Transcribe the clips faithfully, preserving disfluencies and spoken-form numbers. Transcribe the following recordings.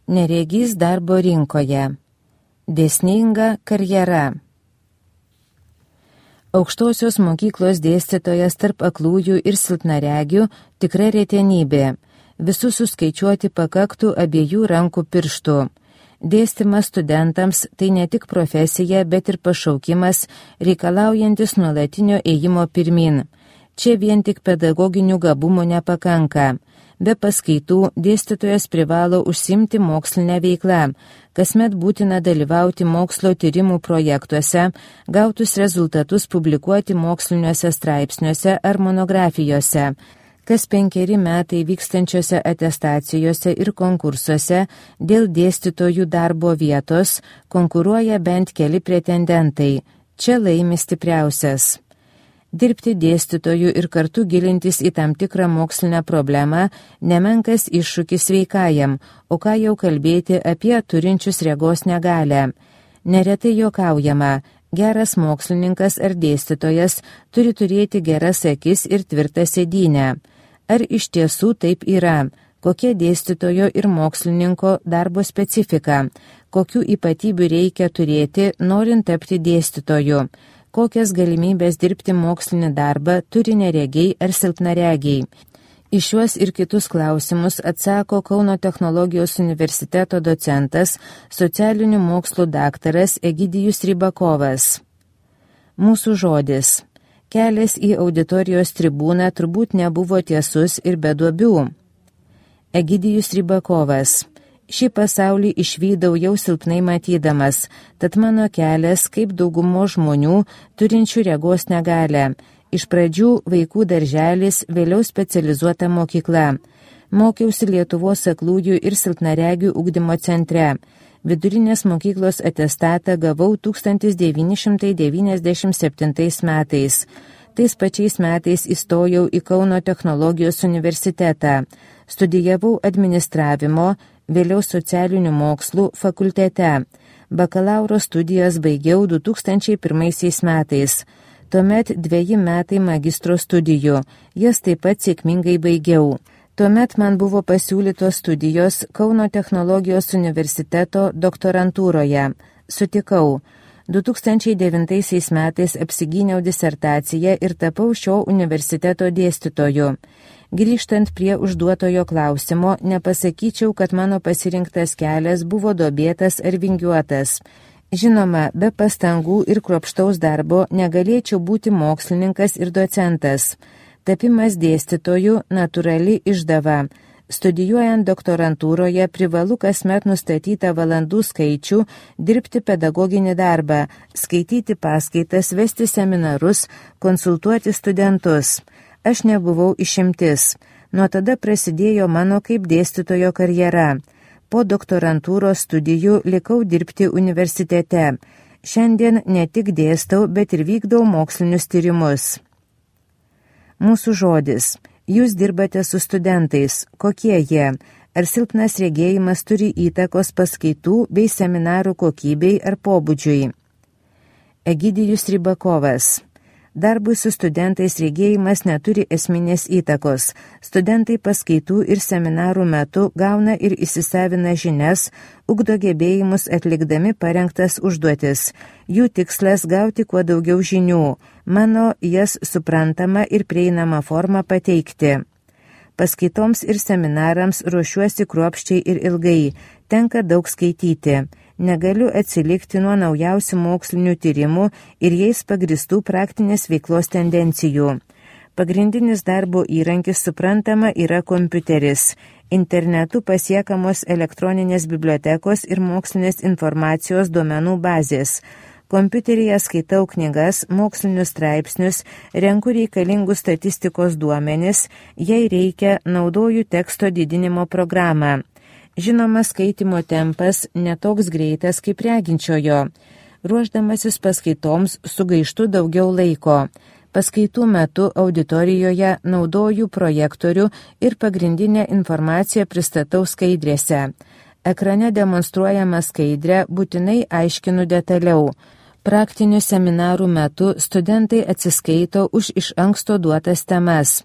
Neregys darbo rinkoje. Dėsninga karjera. Aukštosios mokyklos dėstytojas tarp aklųjų ir silpnaregių tikra retenybė. Visus suskaičiuoti pakaktų abiejų rankų pirštų. Dėstymas studentams tai ne tik profesija, bet ir pašaukimas, reikalaujantis nuolatinio ėjimo pirmin. Čia vien tik pedagoginių gabumų nepakanka. Be paskaitų dėstytojas privalo užsimti mokslinę veiklą. Kasmet būtina dalyvauti mokslo tyrimų projektuose, gautus rezultatus publikuoti moksliniuose straipsniuose ar monografijose. Kas penkeri metai vykstančiose atestacijose ir konkursuose dėl dėstytojų darbo vietos konkuruoja bent keli pretendentai. Čia laimi stipriausias. Dirbti dėstytojų ir kartu gilintis į tam tikrą mokslinę problemą nemenkas iššūkis sveikajam, o ką jau kalbėti apie turinčius regos negalią. Neretai juokaujama. Geras mokslininkas ar dėstytojas turi turėti geras akis ir tvirtą sėdynę. Ar iš tiesų taip yra? Kokia dėstytojo ir mokslininko darbo specifika? Kokių ypatybių reikia turėti, norint tapti dėstytoju? Kokias galimybės dirbti mokslinį darbą turi neregiai ar silpnaregiai? Į šiuos ir kitus klausimus atsako Kauno technologijos universiteto docentas, socialinių mokslų daktaras Egidijus Rybakovas. Mūsų žodis. Kelias į auditorijos tribūną turbūt nebuvo tiesus ir be duobių. Egidijus Rybakovas. Šį pasaulį išvydau jau silpnai matydamas, tad mano kelias kaip daugumo žmonių turinčių regos negalią. Iš pradžių vaikų darželis, vėliau specializuota mokykla. Mokiausi Lietuvos aklųjų ir silpnaregių ugdymo centre. Vidurinės mokyklos atestatą gavau tūkstantis devyni šimtai devyniasdešimt septintais metais. Tais pačiais metais įstojau į Kauno technologijos universitetą. Studijavau administravimo, vėliau socialinių mokslų fakultete. Bakalauro studijas baigiau du tūkstančiai pirmaisiais metais. Tuomet dveji metai magistro studijų. Jas taip pat sėkmingai baigiau. Tuomet man buvo pasiūlytos studijos Kauno technologijos universiteto doktorantūroje. Sutikau. du tūkstančiai devintaisiais metais apsigyniau disertaciją ir tapau šio universiteto dėstytoju. Grįžtant prie užduotojo klausimo, nepasakyčiau, kad mano pasirinktas kelias buvo duobėtas ar vingiuotas. Žinoma, be pastangų ir kruopštaus darbo negalėčiau būti mokslininkas ir docentas. Tapimas dėstytoju natūrali išdava. Studijuojant doktorantūroje privalu kasmet nustatytą valandų skaičių, dirbti pedagoginį darbą, skaityti paskaitas, vesti seminarus, konsultuoti studentus. Aš nebuvau išimtis. Nuo tada prasidėjo mano kaip dėstytojo karjera. Po doktorantūros studijų likau dirbti universitete. Šiandien ne tik dėstau, bet ir vykdau mokslinius tyrimus. Mūsų žodis. Jūs dirbate su studentais. Kokie jie? Ar silpnas regėjimas turi įtakos paskaitų bei seminarų kokybei ar pobūdžiui? Egidijus Rybakovas. Darbui su studentais regėjimas neturi esminės įtakos. Studentai paskaitų ir seminarų metu gauna ir įsisavina žinias, ugdo gebėjimus atlikdami parengtas užduotis. Jų tikslas gauti kuo daugiau žinių. Mano jas suprantama ir prieinama forma pateikti. Paskaitoms ir seminarams ruošiuosi kruopščiai ir ilgai. Tenka daug skaityti. Negaliu atsilikti nuo naujausių mokslinių tyrimų ir jais pagristų praktinės veiklos tendencijų. Pagrindinis darbo įrankis suprantama yra kompiuteris. Internetu pasiekamos elektroninės bibliotekos ir mokslinės informacijos duomenų bazės. Kompiuteryje skaitau knygas, mokslinius straipsnius, renku reikalingus statistikos duomenis, jei reikia, naudoju teksto didinimo programą. Žinoma, skaitimo tempas netoks greitas kaip reginčiojo. Ruošdamasis paskaitoms sugaištu daugiau laiko. Paskaitų metu auditorijoje naudoju projektorių ir pagrindinę informaciją pristatau skaidrėse. Ekrane demonstruojama skaidrę būtinai aiškinu detaliau. Praktinių seminarų metu studentai atsiskaito už iš anksto duotas temas.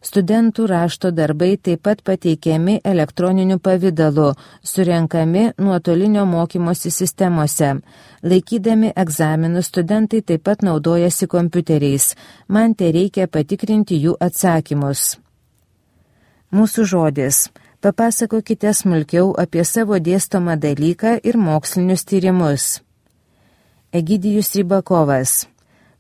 Studentų rašto darbai taip pat pateikiami elektroniniu pavidalu, surenkami nuotolinio mokymosi sistemose. Laikydami egzaminus studentai taip pat naudojasi kompiuteriais. Man tereikia patikrinti jų atsakymus. Mūsų žodis. Papasakokite smulkiau apie savo dėstomą dalyką ir mokslinius tyrimus. Egidijus Rybakovas.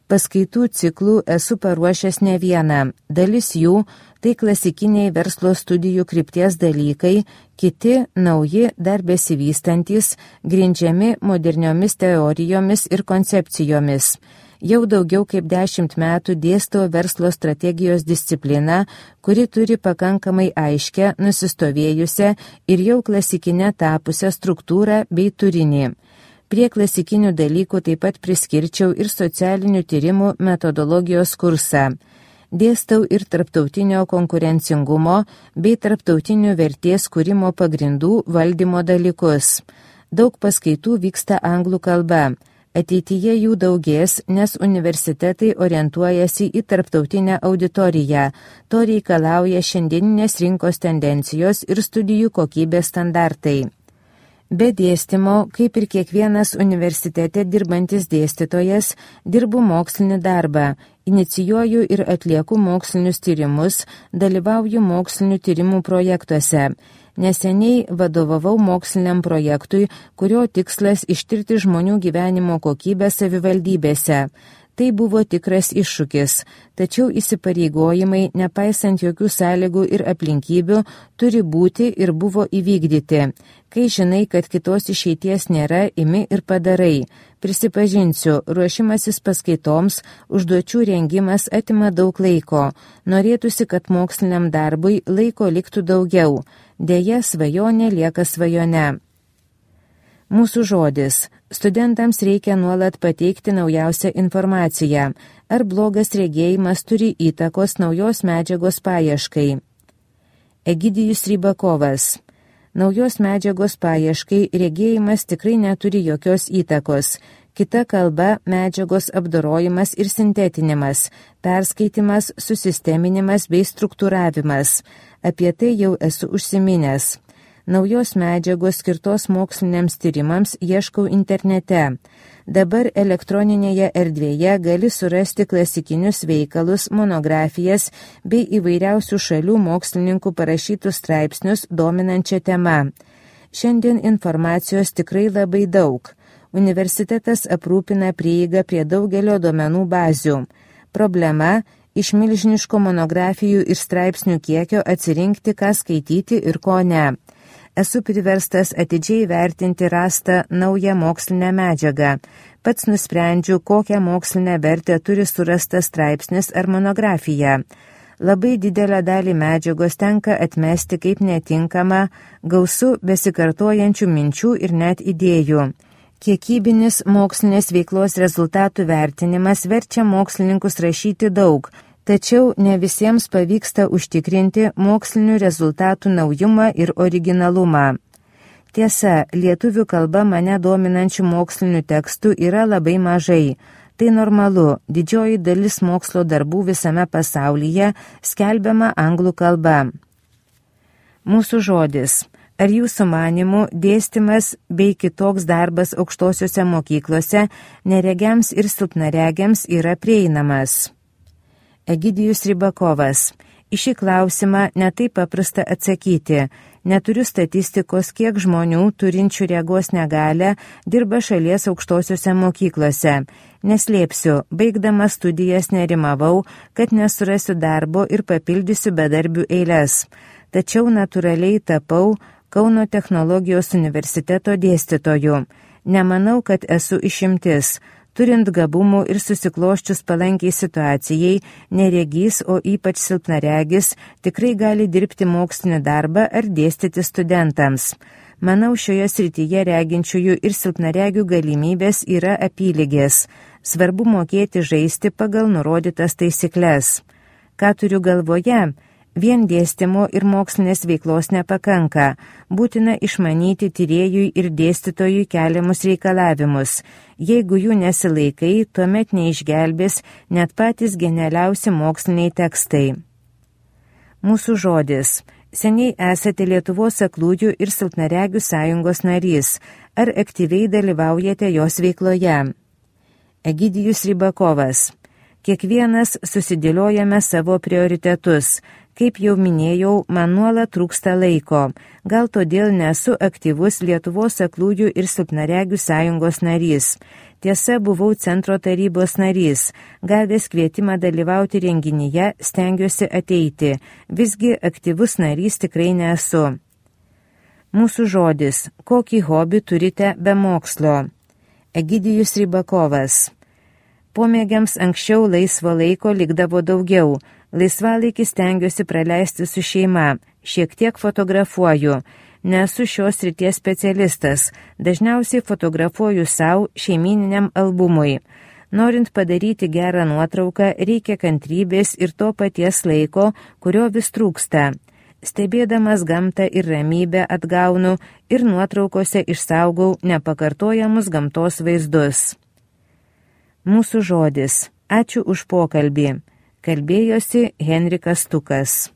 Paskaitų ciklų esu paruošęs ne vieną. Dalis jų tai klasikiniai verslo studijų krypties dalykai, kiti nauji, dar besivystantis, grindžiami moderniomis teorijomis ir koncepcijomis. Jau daugiau kaip dešimt metų dėstau verslo strategijos discipliną, kuri turi pakankamai aiškę, nusistovėjusią ir jau klasikinę tapusią struktūrą bei turinį. Prie klasikinių dalykų taip pat priskirčiau ir socialinių tyrimų metodologijos kursą. Dėstau ir tarptautinio konkurencingumo bei tarptautinių vertės kūrimo pagrindų valdymo dalykus. Daug paskaitų vyksta anglų kalba. Ateityje jų daugės, nes universitetai orientuojasi į tarptautinę auditoriją. To reikalauja šiandieninės rinkos tendencijos ir studijų kokybės standartai. Be dėstymo, kaip ir kiekvienas universitete dirbantis dėstytojas, dirbu mokslinį darbą, inicijuoju ir atlieku mokslinius tyrimus, dalyvauju mokslinių tyrimų projektuose. Neseniai vadovavau moksliniam projektui, kurio tikslas ištirti žmonių gyvenimo kokybę savivaldybėse. Tai buvo tikras iššūkis, tačiau įsipareigojimai, nepaisant jokių sąlygų ir aplinkybių, turi būti ir buvo įvykdyti. Kai žinai, kad kitos išeities nėra, imi ir padarai. Prisipažinsiu, ruošimasis paskaitoms, užduočių rengimas atima daug laiko. Norėtųsi, kad moksliniam darbui laiko liktų daugiau. Deja, svajonė lieka svajone. Mūsų žodis. Studentams reikia nuolat pateikti naujausią informaciją. Ar blogas regėjimas turi įtakos naujos medžiagos paieškai? Egidijus Rybakovas. Naujos medžiagos paieškai regėjimas tikrai neturi jokios įtakos. Kita kalba – medžiagos apdorojimas ir sintetinimas, perskaitimas, susisteminimas bei struktūravimas. Apie tai jau esu užsiminęs. Naujos medžiagos skirtos moksliniams tyrimams ieškau internete. Dabar elektroninėje erdvėje gali surasti klasikinius veikalus, monografijas bei įvairiausių šalių mokslininkų parašytus straipsnius dominančią temą. Šiandien informacijos tikrai labai daug. Universitetas aprūpina prieigą prie daugelio duomenų bazių. Problema – iš milžiniško monografijų ir straipsnių kiekio atsirinkti, ką skaityti ir ko ne. Esu priverstas atidžiai vertinti rastą naują mokslinę medžiagą. Pats nusprendžiu, kokią mokslinę vertę turi surastas straipsnis ar monografija. Labai didelę dalį medžiagos tenka atmesti kaip netinkama, gausu besikartojančių minčių ir net idėjų. Kiekybinis mokslinės veiklos rezultatų vertinimas verčia mokslininkus rašyti daug, tačiau ne visiems pavyksta užtikrinti mokslinių rezultatų naujumą ir originalumą. Tiesa, lietuvių kalba mane dominančių mokslinių tekstų yra labai mažai. Tai normalu, didžioji dalis mokslo darbų visame pasaulyje skelbiama anglų kalba. Mūsų žodis. Ar jūsų manimų dėstymas bei kitoks darbas aukštosiuose mokyklose neregiams ir silpnaregiams yra prieinamas? Egidijus Rybakovas. Į šį klausimą netaip paprasta atsakyti. Neturiu statistikos, kiek žmonių turinčių regos negalią dirba šalies aukštosiuose mokyklose. Neslėpsiu, baigdama studijas nerimavau, kad nesurasiu darbo ir papildysiu bedarbių eiles. Tačiau natūraliai tapau Kauno technologijos universiteto dėstytoju. Nemanau, kad esu išimtis. Turint gabumų ir susikloščius palankiai situacijai, neregys, o ypač silpnaregis, tikrai gali dirbti mokslinį darbą ar dėstyti studentams. Manau, šioje srityje reginčiųjų ir silpnaregių galimybės yra apylygės. Svarbu mokėti žaisti pagal nurodytas taisykles. Ką turiu galvoje? Vien dėstymo ir mokslinės veiklos nepakanka. Būtina išmanyti tyrėjui ir dėstytojui keliamus reikalavimus. Jeigu jų nesilaikai, tuomet neišgelbės net patys genialiausi moksliniai tekstai. Mūsų žodis. Seniai esate Lietuvos aklųjų ir silpnaregių sąjungos narys. Ar aktyviai dalyvaujate jos veikloje? Egidijus Rybakovas. Kiekvienas susidėliojame savo prioritetus. Kaip jau minėjau, man nuolat trūksta laiko. Gal todėl nesu aktyvus Lietuvos aklųjų ir silpnaregių sąjungos narys. Tiesa, buvau centro tarybos narys. Gavęs kvietimą dalyvauti renginyje, stengiuosi ateiti. Visgi aktyvus narys tikrai nesu. Mūsų žodis. Kokį hobį turite be mokslo? Egidijus Rybakovas. Pomėgiams anksčiau laisvo laiko likdavo daugiau. Laisvalaikį stengiuosi praleisti su šeima, šiek tiek fotografuoju. Nesu šios srities specialistas, dažniausiai fotografuoju savo šeimininiam albumui. Norint padaryti gerą nuotrauką, reikia kantrybės ir to paties laiko, kurio vis trūksta. Stebėdamas gamtą ir ramybę atgaunu ir nuotraukose išsaugau nepakartojamus gamtos vaizdus. Mūsų žodis. Ačiū už pokalbį. Kalbėjosi Henrikas Stukas.